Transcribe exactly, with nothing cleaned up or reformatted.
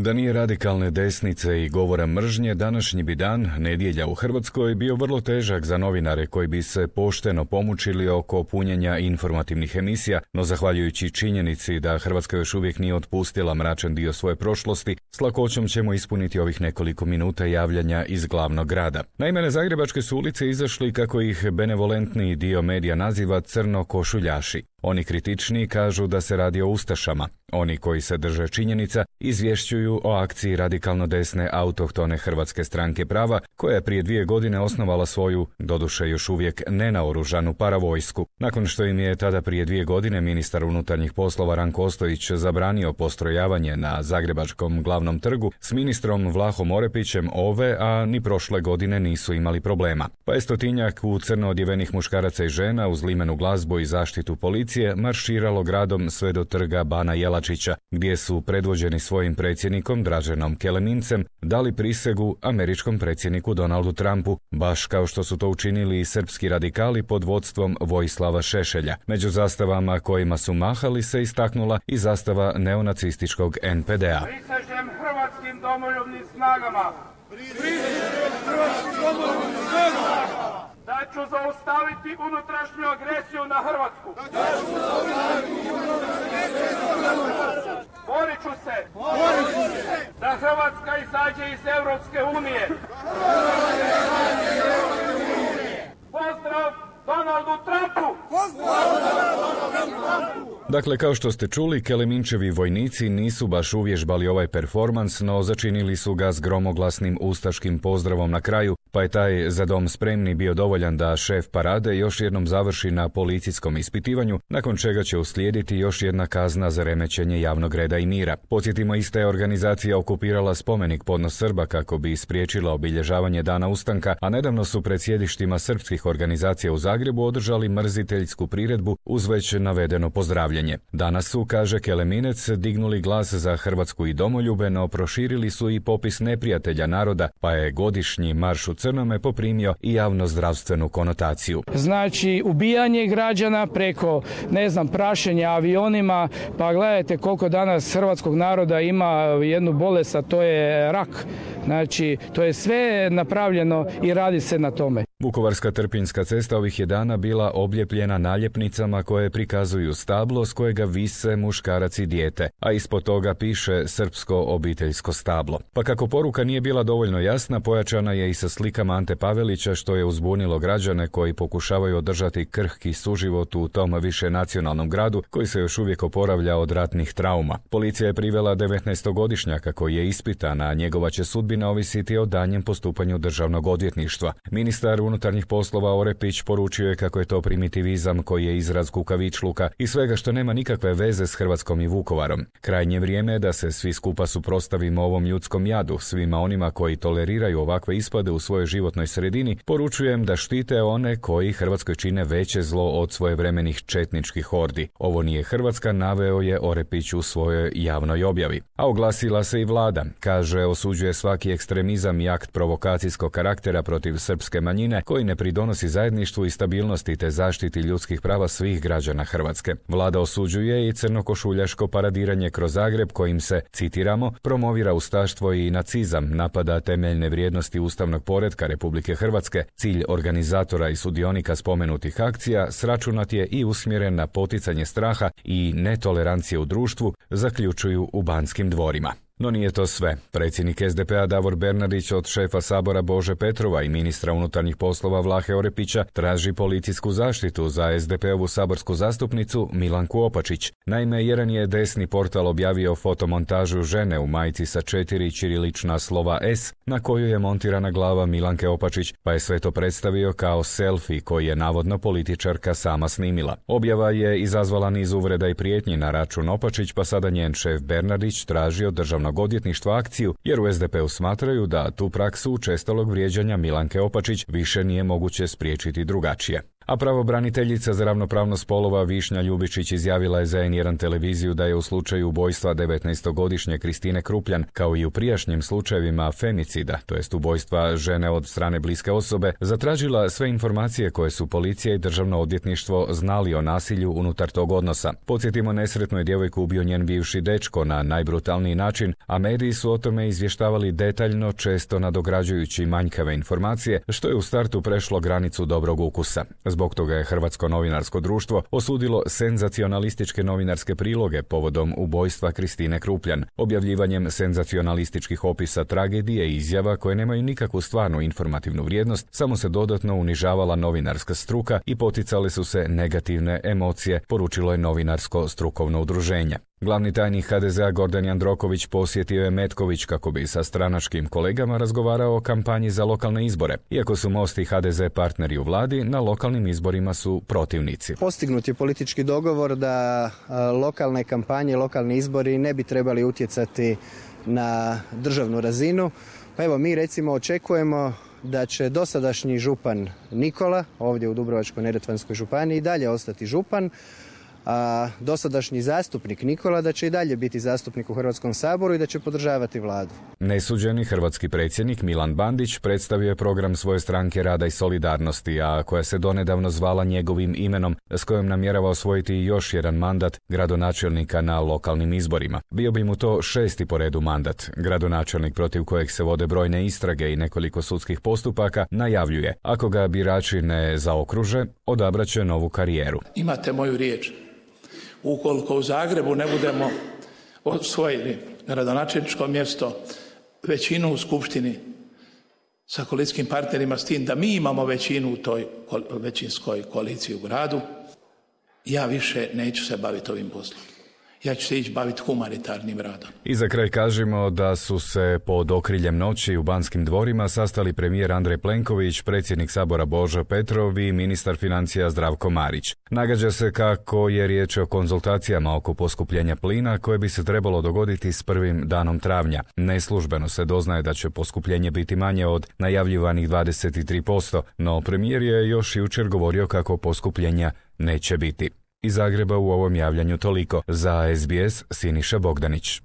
Da nije radikalne desnice i govora mržnje, današnji bi dan, nedjelja u Hrvatskoj, bio vrlo težak za novinare koji bi se pošteno pomučili oko punjenja informativnih emisija, no zahvaljujući činjenici da Hrvatska još uvijek nije otpustila mračan dio svoje prošlosti, s lakoćom ćemo ispuniti ovih nekoliko minuta javljanja iz glavnog grada. Naime, na zagrebačke su ulice izašli, kako ih benevolentni dio medija naziva, crno-košuljaši. Oni kritični kažu da se radi o ustašama. Oni koji se drže činjenica izvješćuju o akciji radikalno desne autohtone Hrvatske stranke prava, koja je prije dvije godine osnovala svoju, doduše još uvijek nenaoružanu paravojsku. Nakon što im je tada prije dvije godine ministar unutarnjih poslova Ranko Ostojić zabranio postrojavanje na zagrebačkom glavnom trgu, s ministrom Vlahom Orepićem ove, a ni prošle godine nisu imali problema. Pa je stotinjak u crno odjevenih muškaraca i žena uz limenu glazbu i zaštitu policije marširalo gradom sve do trga Bana Jelačića, gdje su predvođeni svojim predsjednikom Draženom Kelemincem dali prisegu američkom predsjedniku Donaldu Trumpu, baš kao što su to učinili i srpski radikali pod vodstvom Vojislava Šešelja. Među zastavama kojima su mahali se istaknula i zastava neonacističkog en pe de a. Prisežem hrvatskim domoljubnim snagama. Prisežem hrvatskim domoljubnim snagama. Da ću zaustaviti unutrašnju agresiju na Hrvatsku. Da ću zaustaviti unutrašnju agresiju na Hrvatsku. Borit ću se. Borit ću se. Da Hrvatska izađe iz Europske unije. Pozdrav Donaldu Trumpu! Dakle, kao što ste čuli, Keleminčevi vojnici nisu baš uvježbali ovaj performans, no začinili su ga s gromoglasnim ustaškim pozdravom na kraju, pa je taj za dom spremni bio dovoljan da šef parade još jednom završi na policijskom ispitivanju, nakon čega će uslijediti još jedna kazna za remećenje javnog reda i mira. Podsjetimo, ista je organizacija okupirala spomenik Podnos Srba kako bi spriječila obilježavanje Dana ustanka, a nedavno su pred sjedištima srpskih organizacija u Zagrebu održali mrziteljsku priredbu uz već navedeno pozdravljanje. Danas su, kaže Keleminec, dignuli glas za Hrvatsku i domoljube, no proširili su i popis neprijatelja naroda, pa je godišnji marš u crnome poprimio i javnozdravstvenu konotaciju. Znači, ubijanje građana preko, ne znam, prašenja avionima, pa gledajte koliko danas hrvatskog naroda ima jednu bolest, a to je rak. Znači, to je sve napravljeno i radi se na tome. Vukovarska Trpinjska cesta ovih je dana bila obljepljena naljepnicama koje prikazuju stablo s kojega vise muškarac i dijete, a ispod toga piše srpsko obiteljsko stablo. Pa kako poruka nije bila dovoljno jasna, pojačana je i sa slikama Ante Pavelića, što je uzbunilo građane koji pokušavaju održati krhki suživot u tom višenacionalnom gradu koji se još uvijek oporavlja od ratnih trauma. Policija je privela devetnaestogodišnjaka koji je ispitan, a njegova će sudbina ovisiti o danjem postupanju državnog odvjetništva. Ministar unutarnjih poslova Orepić poručio je kako je to primitivizam koji je izraz kukavičluka i svega što nema nikakve veze s Hrvatskom i Vukovarom. Krajnje vrijeme je da se svi skupa suprotstavimo ovom ljudskom jadu, svima onima koji toleriraju ovakve ispade u svojoj životnoj sredini. Poručujem da štite one koji Hrvatskoj čine veće zlo od svojevremenih četničkih hordi. Ovo nije Hrvatska, naveo je Orepić u svojoj javnoj objavi. A oglasila se i vlada. Kaže, osuđuje svaki ekstremizam i akt provokacijskog karaktera protiv srpske manjine koji ne pridonosi zajedništvu i stabilnosti te zaštiti ljudskih prava svih građana Hrvatske. Vlada osuđuje i crnokošuljaško paradiranje kroz Zagreb kojim se, citiramo, promovira ustaštvo i nacizam, napada temeljne vrijednosti ustavnog poretka Republike Hrvatske. Cilj organizatora i sudionika spomenutih akcija sračunat je i usmjeren na poticanje straha i netolerancije u društvu, zaključuju u Banskim dvorima. No nije to sve. Predsjednik es de pe a Davor Bernardić od šefa Sabora Bože Petrova i ministra unutarnjih poslova Vlahe Orepića traži policijsku zaštitu za es de pe ovu saborsku zastupnicu Milanku Opačić. Naime, jedan je desni portal objavio fotomontažu žene u majici sa četiri ćirilična slova S na koju je montirana glava Milanke Opačić, pa je sve to predstavio kao selfie koji je navodno političarka sama snimila. Objava je izazvala niz uvreda i prijetnji na račun Opačić, pa sada njen šef Bernardić traži od državnog odvjetništva akciju, jer u es de pe u smatraju da tu praksu učestalog vrijeđanja Milanke Opačić više nije moguće spriječiti drugačije. A pravobraniteljica za ravnopravnost spolova Višnja Ljubičić izjavila je za en jedan televiziju da je u slučaju ubojstva devetnaestogodišnje Kristine Krupljan, kao i u prijašnjim slučajevima femicida, to jest ubojstva žene od strane bliske osobe, zatražila sve informacije koje su policija i državno odvjetništvo znali o nasilju unutar tog odnosa. Podsjetimo, nesretnu je djevojku ubio njen bivši dečko na najbrutalniji način, a mediji su o tome izvještavali detaljno, često nadograđujući manjkave informacije, što je u startu prešlo granicu dobrog ukusa. Zbog toga je Hrvatsko novinarsko društvo osudilo senzacionalističke novinarske priloge povodom ubojstva Kristine Krupljan, objavljivanjem senzacionalističkih opisa tragedije i izjava koje nemaju nikakvu stvarnu informativnu vrijednost, samo se dodatno unižavala novinarska struka i poticale su se negativne emocije, poručilo je novinarsko strukovno udruženje. Glavni tajnik ha de zea Gordan Jandroković posjetio je Metković kako bi sa stranačkim kolegama razgovarao o kampanji za lokalne izbore. Iako su Most i ha de ze partneri u vladi, na lokalnim izborima su protivnici. Postignut je politički dogovor da lokalne kampanje, lokalni izbori ne bi trebali utjecati na državnu razinu. Pa evo, mi recimo očekujemo da će dosadašnji župan Nikola, ovdje u Dubrovačko-neretvanskoj županiji, i dalje ostati župan, a dosadašnji zastupnik Nikola da će i dalje biti zastupnik u Hrvatskom saboru i da će podržavati vladu. Nesuđeni hrvatski predsjednik Milan Bandić predstavio je program svoje stranke Rada i solidarnosti, a koja se donedavno zvala njegovim imenom, s kojom namjerava osvojiti još jedan mandat gradonačelnika na lokalnim izborima. Bio bi mu to šesti po redu mandat. Gradonačelnik, protiv kojeg se vode brojne istrage i nekoliko sudskih postupaka, najavljuje: ako ga birači ne zaokruže, odabraće novu karijeru. Imate moju riječ. Ukoliko u Zagrebu ne budemo osvojili gradonačelničko mjesto, većinu u skupštini sa koalicijskim partnerima, s tim da mi imamo većinu u toj većinskoj koaliciji u gradu, ja više neću se baviti ovim poslom. Ja ću se ići baviti humanitarnim radom. I za kraj kažemo da su se pod okriljem noći u Banskim dvorima sastali premijer Andrej Plenković, predsjednik Sabora Božo Petrov i ministar financija Zdravko Marić. Nagađa se kako je riječ o konzultacijama oko poskupljenja plina koje bi se trebalo dogoditi s prvim danom travnja. Neslužbeno se doznaje da će poskupljenje biti manje od najavljivanih dvadeset tri posto, no premijer je još jučer govorio kako poskupljenja neće biti. Iz Zagreba u ovom javljanju toliko. Za es be es Siniša Bogdanić.